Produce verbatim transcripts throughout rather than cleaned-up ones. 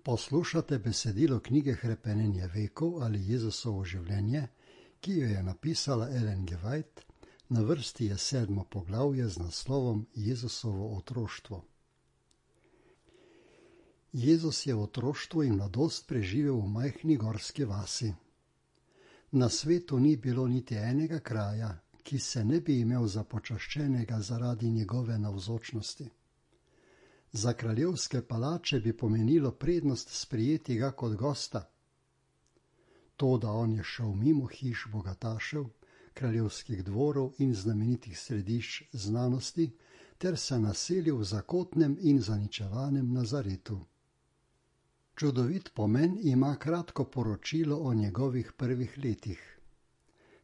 Poslušate besedilo knjige Hrepenenje vekov ali Jezusovo življenje, ki jo je napisala Ellen G. White. Na vrsti je sedmo poglavje z naslovom Jezusovo otroštvo. Jezus je otroštvo in mladost preživel v majhni gorski vasi. Na svetu ni bilo niti enega kraja, ki se ne bi imel za počaščenega zaradi njegove navzočnosti. Za kraljevske palače bi pomenilo prednost sprejeti ga kot gosta. To, da on je šel mimo hiš bogatašev, kraljevskih dvorov in znamenitih središč znanosti, ter se naselil v zakotnem in zaničevanem Nazaretu. Čudovit pomen ima kratko poročilo o njegovih prvih letih.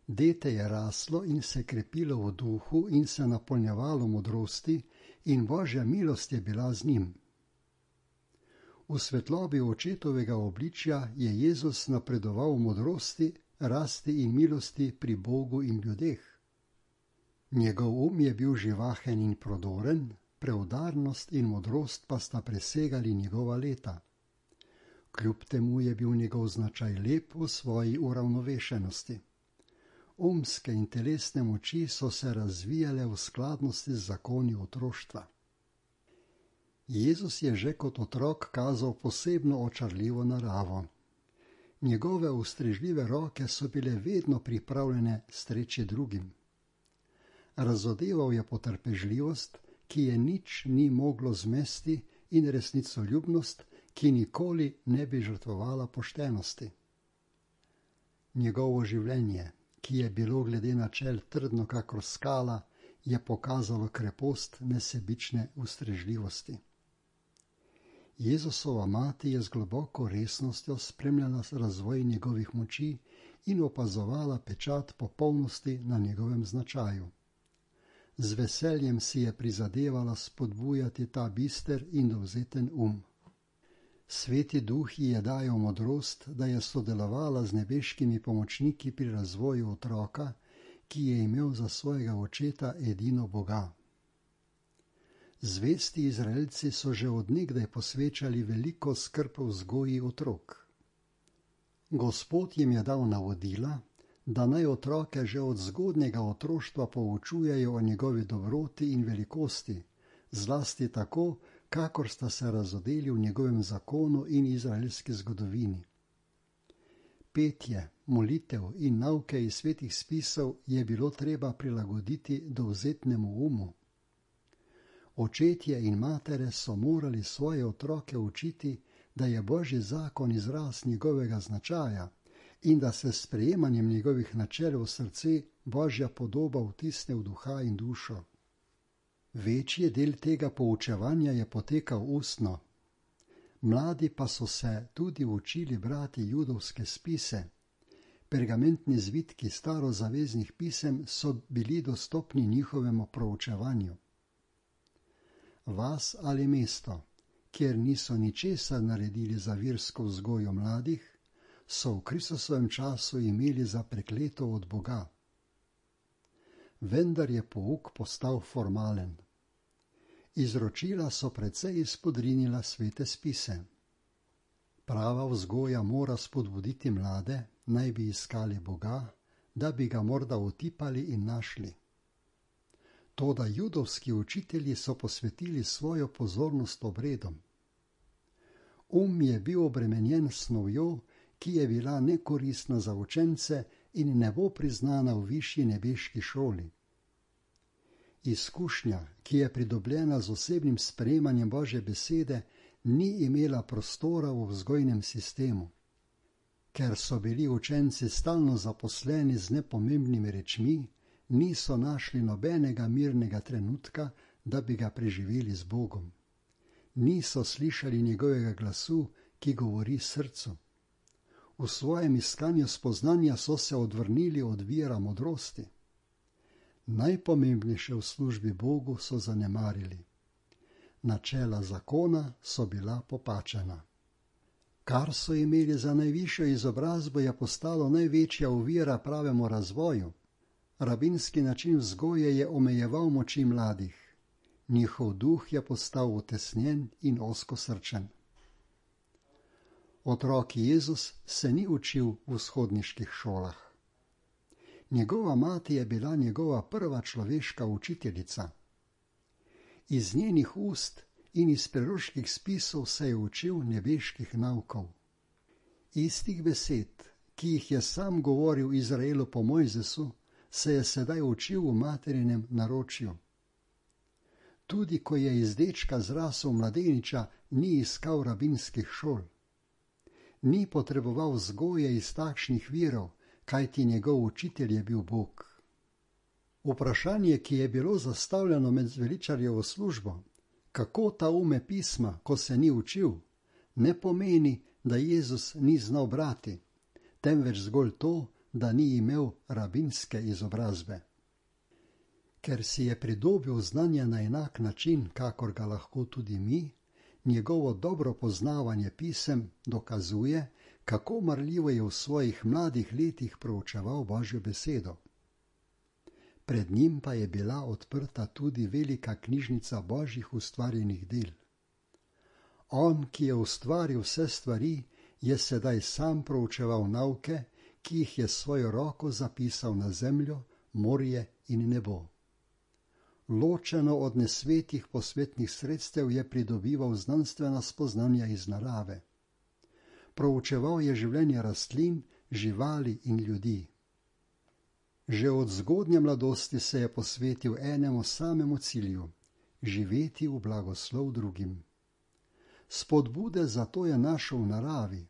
Dete je raslo in se krepilo v duhu in se napolnjevalo modrosti, in Božja milost je bila z njim. V svetlobi očetovega obličja je Jezus napredoval v modrosti, rasti in milosti pri Bogu in ljudeh. Njegov um je bil živahen in prodoren, preudarnost in modrost pa sta presegali njegova leta. Kljub temu je bil njegov značaj lep v svoji uravnovešenosti. Umske in telesne moči so se razvijale v skladnosti z zakoni otroštva. Jezus je že kot otrok kazal posebno očarljivo naravo. Njegove ustrežljive roke so bile vedno pripravljene streči drugim. Razodeval je potrpežljivost, ki je nič ni moglo zmesti, in resnicoljubnost, ki nikoli ne bi žrtvovala poštenosti. Njegovo življenje, ki je bilo glede načel trdno kakor skala, je pokazalo krepost nesebične ustrežljivosti. Jezusova mati je z globoko resnostjo spremljala razvoj njegovih moči in opazovala pečat popolnosti na njegovem značaju. Z veseljem si je prizadevala spodbujati ta bister in dovzeten um. Sveti duh ji je dajal modrost, da je sodelovala z nebeškimi pomočniki pri razvoju otroka, ki je imel za svojega očeta edino Boga. Zvesti Izraelci so že od nekdaj posvečali veliko skrb vzgoji otrok. Gospod jim je dal navodila, da naj otroke že od zgodnjega otroštva poučujejo o njegovi dobroti in velikosti, zlasti tako, kakor sta se razodeli v njegovem zakonu in izraelski zgodovini. Petje, molitev in nauke iz svetih spisov je bilo treba prilagoditi dovzetnemu umu. Očetje in matere so morali svoje otroke učiti, da je Božji zakon izraz njegovega značaja in da se s sprejemanjem njegovih načel v srce Božja podoba vtisne v duha in dušo. Večji del tega poučevanja je potekal ustno. Mladi pa so se tudi učili brati judovske spise. Pergamentni zvitki starozaveznih pisem so bili dostopni njihovemu proučevanju. Vas ali mesto, kjer niso ničesar naredili za versko vzgojo mladih, so v Kristusovem času imeli za prekleto od Boga. Vendar je pouk postal formalen. Izročila so precej izpodrinila svete spise. Prava vzgoja mora spodbuditi mlade, naj bi iskali Boga, da bi ga morda otipali in našli. Toda judovski učitelji so posvetili svojo pozornost obredom. Um je bil obremenjen s snovjo, ki je bila nekoristna za učence in ne bo priznana v višji nebeški šoli. Izkušnja, ki je pridobljena z osebnim sprejemanjem Božje besede, ni imela prostora v vzgojnem sistemu. Ker so bili učenci stalno zaposleni z nepomembnimi rečmi, niso našli nobenega mirnega trenutka, da bi ga preživeli z Bogom. Niso slišali njegovega glasu, ki govori srcu. V svojem iskanju spoznanja so se odvrnili od vira modrosti. Najpomembnejše v službi Bogu so zanemarili. Načela zakona so bila popačena. Kar so imeli za najvišjo izobrazbo, je postalo največja ovira pravemu razvoju. Rabinski način vzgoje je omejeval moči mladih. Njihov duh je postal utesnjen in ozkosrčen. Otrok Jezus se ni učil v vzhodniških šolah. Njegova mati je bila njegova prva človeška učiteljica. Iz njenih ust in iz preroških spisov se je učil nebeških naukov. Istih besed, ki jih je sam govoril Izraelu po Mojzesu, se je sedaj učil v materinem naročju. Tudi ko je iz dečka zrasel mladeniča, ni iskal rabinskih šol. Ni potreboval vzgoje iz takšnih virov, kajti njegov učitelj je bil Bog. Vprašanje, ki je bilo zastavljeno med zveličarjevo službo, kako ta ume pisma, ko se ni učil, ne pomeni, da Jezus ni znal brati, temveč zgolj to, da ni imel rabinske izobrazbe. Ker si je pridobil znanje na enak način, kakor ga lahko tudi mi, njegovo dobro poznavanje pisem dokazuje, kako marljivo je v svojih mladih letih proučeval Božjo besedo. Pred njim pa je bila odprta tudi velika knjižnica Božjih ustvarjenih del. On, ki je ustvaril vse stvari, je sedaj sam proučeval nauke, ki jih je svojo roko zapisal na zemljo, morje in nebo. Ločeno od nesvetih posvetnih sredstev je pridobival znanstvena spoznanja iz narave. Proučeval je življenje rastlin, živali in ljudi. Že od zgodnje mladosti se je posvetil enemu samemu cilju – živeti v blagoslov drugim. Spodbude za to je našel v naravi.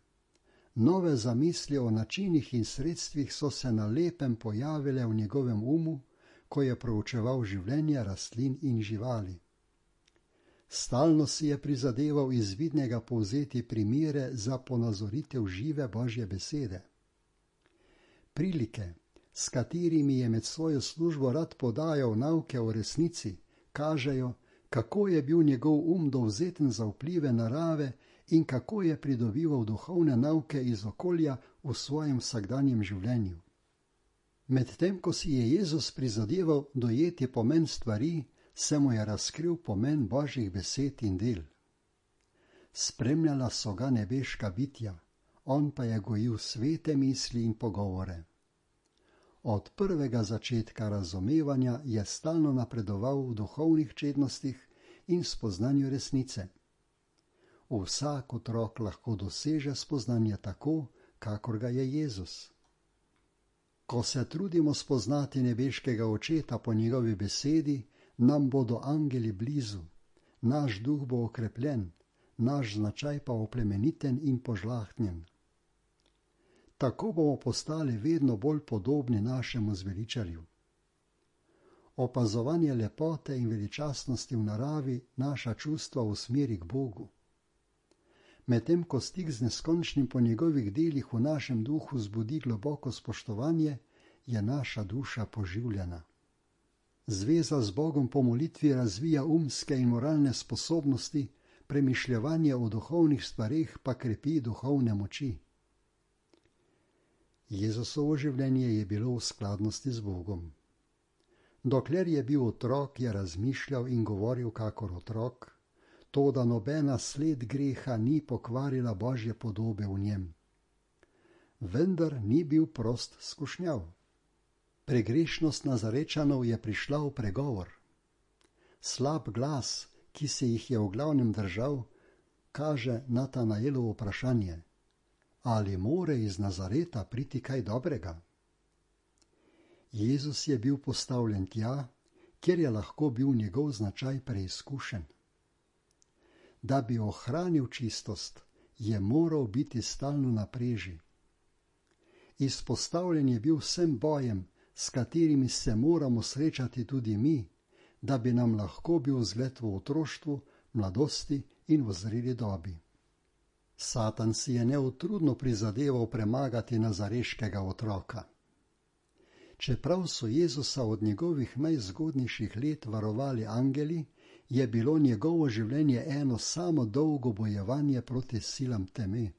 Nove zamisli o načinih in sredstvih so se na lepem pojavile v njegovem umu, ko je proučeval življenje rastlin in živali. Stalno si je prizadeval iz vidnega povzeti primere za ponazoritev žive Božje besede. Prilike, s katerimi je med svojo službo rad podajal nauke o resnici, kažejo, kako je bil njegov um dovzeten za vplive narave in kako je pridobival duhovne nauke iz okolja v svojem vsakdanjem življenju. Medtem, ko si je Jezus prizadeval dojeti pomen stvari, se mu je razkril pomen Božjih besed in del. Spremljala so ga nebeška bitja, on pa je gojil svete misli in pogovore. Od prvega začetka razumevanja je stalno napredoval v duhovnih čednostih in spoznanju resnice. Vsak otrok lahko doseže spoznanje tako, kakor ga je Jezus. Ko se trudimo spoznati nebeškega očeta po njegovi besedi, nam bodo angeli blizu, naš duh bo okrepljen, naš značaj pa oplemeniten in požlahtnjen. Tako bomo postali vedno bolj podobni našemu zveličarju. Opazovanje lepote in veličastnosti v naravi naša čustva usmeri k Bogu. Medtem ko stik z neskončnim po njegovih delih v našem duhu zbudi globoko spoštovanje, je naša duša poživljena. Zveza z Bogom po molitvi razvija umske in moralne sposobnosti, premišljevanje o duhovnih stvareh pa krepi duhovne moči. Jezusovo življenje je bilo v skladnosti z Bogom. Dokler je bil otrok, je razmišljal in govoril kakor otrok, toda nobena sled greha ni pokvarila Božje podobe v njem. Vendar ni bil prost skušnjav. Pregrešnost Nazarečanov je prišla v pregovor. Slab glas, ki se jih je v glavnem držal, kaže Natanaelovo vprašanje: ali more iz Nazareta priti kaj dobrega? Jezus je bil postavljen tja, kjer je lahko bil njegov značaj preizkušen. Da bi ohranil čistost, je moral biti stalno na preži. Izpostavljen je bil vsem bojem, s katerimi se moramo srečati tudi mi, da bi nam lahko bil zgled v otroštvu, mladosti in v zreli dobi. Satan si je neutrudno prizadeval premagati nazareškega otroka. Čeprav so Jezusa od njegovih najzgodnejših let varovali angeli, je bilo njegovo življenje eno samo dolgo bojevanje proti silam teme.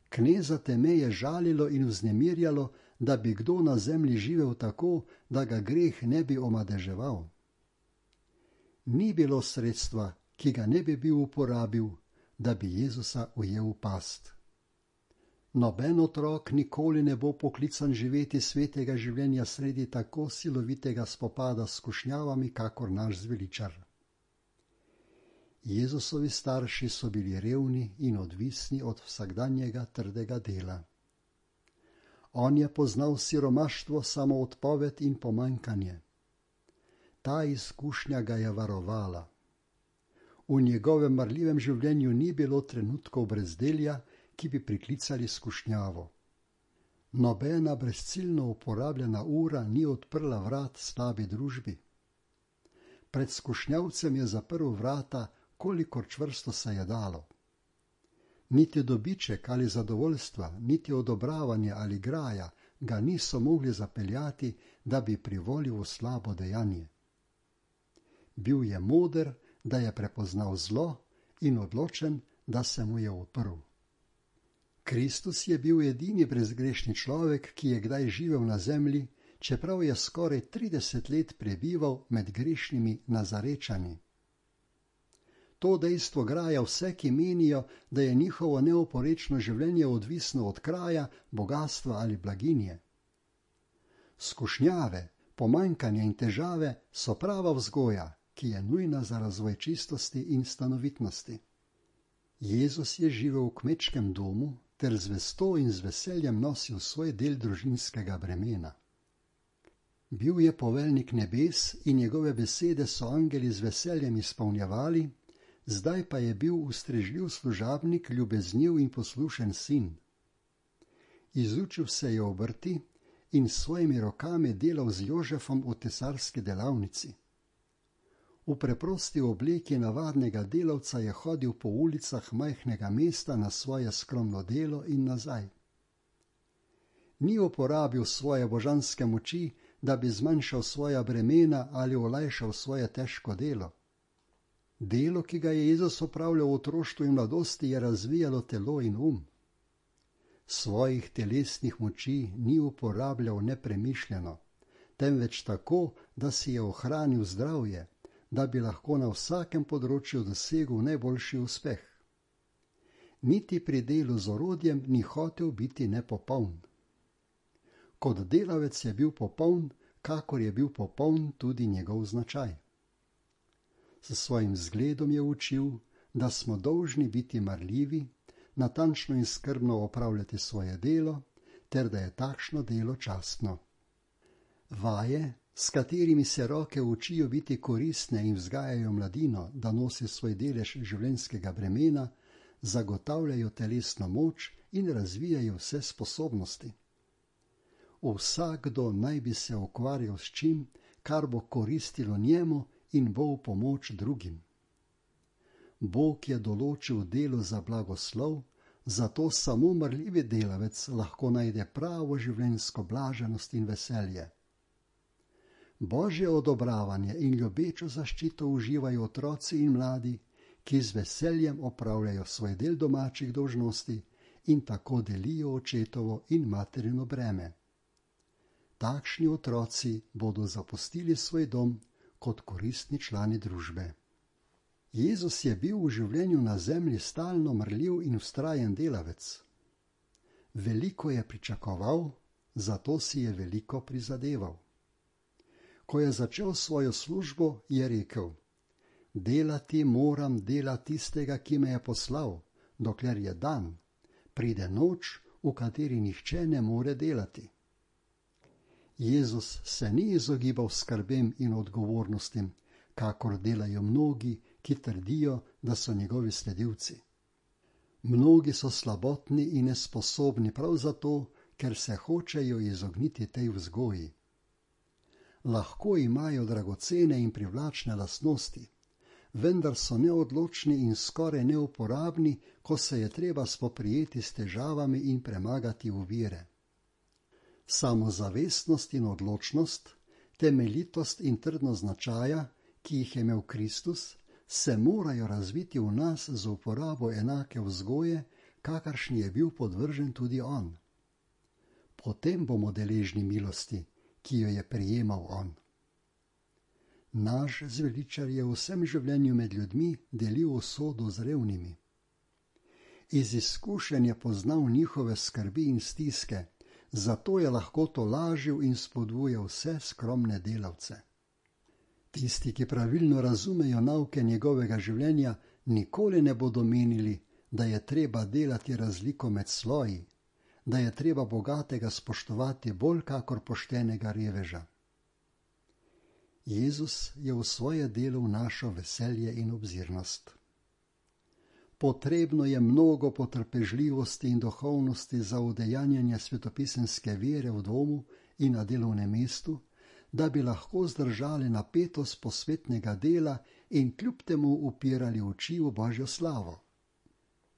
Kneza teme je žalilo in vznemirjalo, da bi kdo na zemlji živel tako, da ga greh ne bi omadeževal. Ni bilo sredstva, ki ga ne bi bil uporabil, da bi Jezusa ujel v past. Noben otrok nikoli ne bo poklican živeti svetega življenja sredi tako silovitega spopada s skušnjavami, kakor naš zveličar. Jezusovi starši so bili revni in odvisni od vsakdanjega trdega dela. On je poznal siromaštvo, samoodpoved in pomanjkanje. Ta izkušnja ga je varovala. V njegovem marljivem življenju ni bilo trenutkov brezdelja, ki bi priklicali skušnjavo. Nobena brezciljno uporabljena ura ni odprla vrat slabi družbi. Pred skušnjavcem je zaprl vrata, kolikor čvrsto se je dalo. Niti dobiček ali zadovoljstva, niti odobravanje ali graja ga niso mogli zapeljati, da bi privolil v slabo dejanje. Bil je moder, da je prepoznal zlo in odločen, da se mu je uprl. Kristus je bil edini brezgrešni človek, ki je kdaj živel na zemlji, čeprav je skoraj trideset let prebival med grešnimi Nazarečani. To dejstvo graja vse, ki menijo, da je njihovo neoporečno življenje odvisno od kraja, bogatstva ali blaginje. Skušnjave, pomanjkanje in težave so prava vzgoja, ki je nujna za razvoj čistosti in stanovitnosti. Jezus je živel v kmečkem domu ter z vesto in z veseljem nosil svoj del družinskega bremena. Bil je poveljnik nebes in njegove besede so angeli z veseljem izpolnjevali, zdaj pa je bil ustrežljiv služabnik, ljubezniv in poslušen sin. Izučil se je obrti in s svojimi rokami delal z Jožefom v tesarski delavnici. V preprosti obleki navadnega delavca je hodil po ulicah majhnega mesta na svoje skromno delo in nazaj. Ni uporabil svoje božanske moči, da bi zmanjšal svoja bremena ali olajšal svoje težko delo. Delo, ki ga je Jezus opravljal v otroštvu in mladosti, je razvijalo telo in um. Svojih telesnih moči ni uporabljal nepremišljeno, temveč tako, da si je ohranil zdravje, da bi lahko na vsakem področju dosegel najboljši uspeh. Niti pri delu z orodjem ni hotel biti nepopoln. Kot delavec je bil popoln, kakor je bil popoln tudi njegov značaj. S svojim zgledom je učil, da smo dolžni biti marljivi, natančno in skrbno opravljati svoje delo, ter da je takšno delo častno. Vaje, s katerimi se roke učijo biti koristne in vzgajajo mladino, da nosi svoj delež življenjskega bremena, zagotavljajo telesno moč in razvijajo vse sposobnosti. Vsakdo naj bi se ukvarjal s čim, kar bo koristilo njemu in bo v pomoč drugim. Bog je določil delo za blagoslov, zato samo marljivi delavec lahko najde pravo življenjsko blaženost in veselje. Božje odobravanje in ljubečo zaščito uživajo otroci in mladi, ki z veseljem opravljajo svoj del domačih dolžnosti in tako delijo očetovo in materino breme. Takšni otroci bodo zapustili svoj dom kot koristni člani družbe. Jezus je bil v življenju na zemlji stalno marljiv in vztrajen delavec. Veliko je pričakoval, zato si je veliko prizadeval. Ko je začel svojo službo, je rekel: delati moram dela tistega, ki me je poslal, dokler je dan, pride noč, v kateri nihče ne more delati. Jezus se ni izogibal skrbem in odgovornostim, kakor delajo mnogi, ki trdijo, da so njegovi sledilci. Mnogi so slabotni in nesposobni prav zato, ker se hočejo izogniti tej vzgoji. Lahko imajo dragocene in privlačne lastnosti, vendar so neodločni in skoraj neuporabni, ko se je treba spoprijeti s težavami in premagati ovire. Samozavestnost in odločnost, temeljitost in trdnost značaja, ki jih je imel Kristus, se morajo razviti v nas z uporabo enake vzgoje, kakršni je bil podvržen tudi on. Potem bomo deležni milosti, ki jo je prejemal on. Naš zveličar je v vsem življenju med ljudmi delil usodo z revnimi. Iz izkušenj je poznal njihove skrbi in stiske, zato je lahko tolažil in spodbujal vse skromne delavce. Tisti, ki pravilno razumejo nauke njegovega življenja, nikoli ne bodo menili, da je treba delati razliko med sloji, da je treba bogatega spoštovati bolj kakor poštenega reveža. Jezus je v svoje delo vnašal veselje in obzirnost. Potrebno je mnogo potrpežljivosti in duhovnosti za udejanjanje svetopisemske vere v domu in na delovnem mestu, da bi lahko zdržali napetost posvetnega dela in kljub temu upirali oči v Božjo slavo.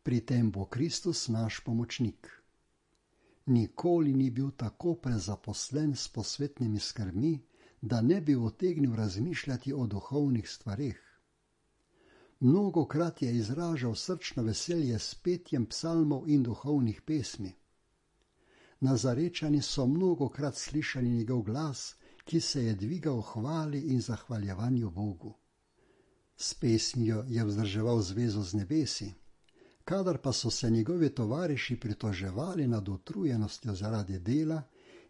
Pri tem bo Kristus naš pomočnik. Nikoli ni bil tako prezaposlen s posvetnimi skrbmi, da ne bi utegnil razmišljati o duhovnih stvareh. Mnogokrat je izražal srčno veselje s petjem psalmov in duhovnih pesmi. Nazarečani so mnogokrat slišali njegov glas, ki se je dvigal v hvali in zahvaljevanju Bogu. S pesmijo je vzdrževal zvezo z nebesi, kadar pa so se njegovi tovariši pritoževali nad utrujenostjo zaradi dela,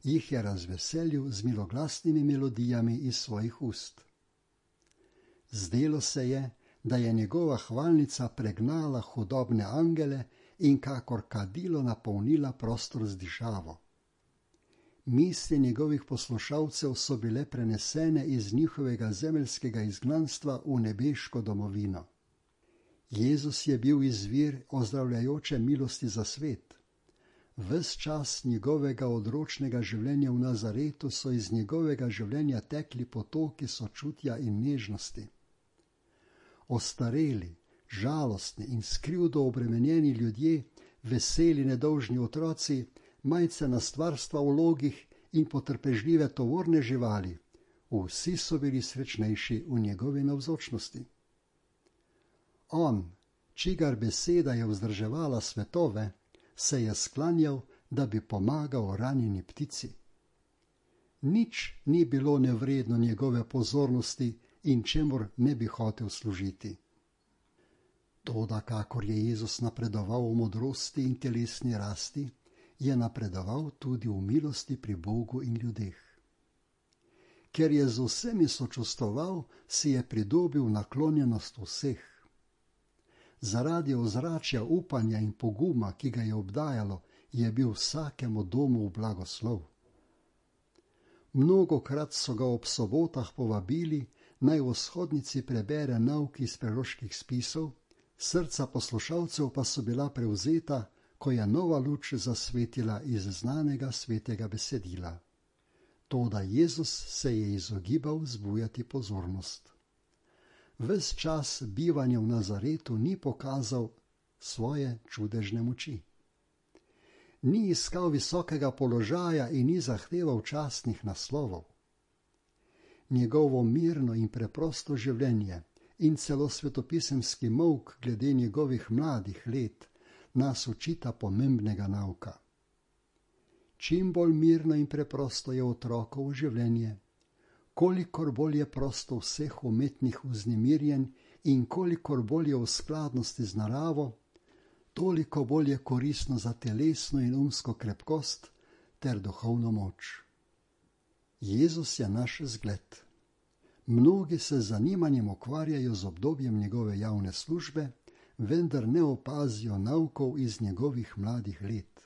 jih je razveselil z miloglasnimi melodijami iz svojih ust. Zdelo se je, da je njegova hvalnica pregnala hudobne angele in kakor kadilo napolnila prostor z dišavo. Misli njegovih poslušalcev so bile prenesene iz njihovega zemeljskega izgnanstva v nebeško domovino. Jezus je bil izvir ozdravljajoče milosti za svet. Ves čas njegovega odročnega življenja v Nazaretu so iz njegovega življenja tekli potoki sočutja in nežnosti. Ostareli, žalostni in s krivdo obremenjeni ljudje, veseli nedolžni otroci, majcena stvarstva v logih in potrpežljive tovorne živali, vsi so bili srečnejši v njegovi navzočnosti. On, čigar beseda je vzdrževala svetove, se je sklanjal, da bi pomagal ranjeni ptici. Nič ni bilo nevredno njegove pozornosti in čemur ne bi hotel služiti. Toda, kakor je Jezus napredoval v modrosti in telesni rasti, je napredoval tudi v milosti pri Bogu in ljudeh. Ker je z vsemi sočustvoval, si je pridobil naklonjenost vseh. Zaradi ozračja upanja in poguma, ki ga je obdajalo, je bil vsakemu domu v blagoslov. Mnogokrat so ga ob sobotah povabili, naj v shodnici prebere nauk iz preroških spisov, srca poslušalcev pa so bila prevzeta, ko je nova luč zasvetila iz znanega svetega besedila. Toda Jezus se je izogibal vzbujati pozornost. Ves čas bivanja v Nazaretu ni pokazal svoje čudežne moči. Ni iskal visokega položaja in ni zahteval častnih naslovov. Njegovo mirno in preprosto življenje in celo svetopisemski molk glede njegovih mladih let nas učita pomembnega nauka. Čim bolj mirno in preprosto je otrokovo življenje, kolikor bolj je prosto vseh umetnih vznemirjenj in kolikor bolj je v skladnosti z naravo, toliko bolj je koristno za telesno in umsko krepkost ter duhovno moč. Jezus je naš zgled. Mnogi se z zanimanjem ukvarjajo z obdobjem njegove javne službe, vendar ne opazijo naukov iz njegovih mladih let.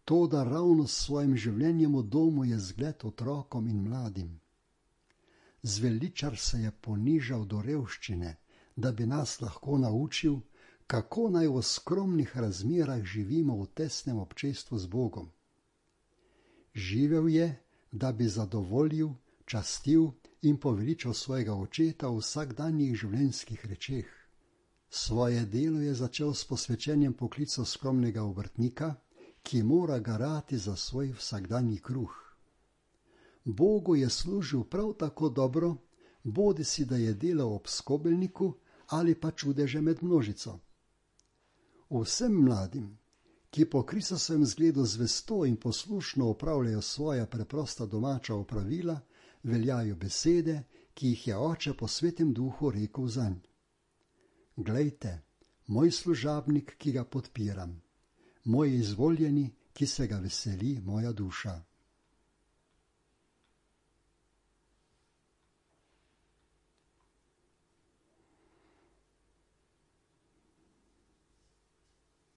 Toda ravno s svojim življenjem v domu je zgled otrokom in mladim. Zveličar se je ponižal do revščine, da bi nas lahko naučil, kako naj v skromnih razmerah živimo v tesnem občestvu z Bogom. Živel je, da bi zadovoljil, častil in poveličal svojega očeta v vsakdanjih življenjskih rečeh. Svoje delo je začel s posvečenjem poklica skromnega obrtnika, ki mora garati za svoj vsakdanji kruh. Bogu je služil prav tako dobro, bodisi da je delal ob skobelniku ali pa čudeže med množico. Vsem mladim, ki po Kristusovem zgledu zvesto in poslušno opravljajo svoja preprosta domača opravila, veljajo besede, ki jih je Oče po Svetem Duhu rekel zanj. Glejte, moj služabnik, ki ga podpiram, moj izvoljeni, ki se ga veseli moja duša.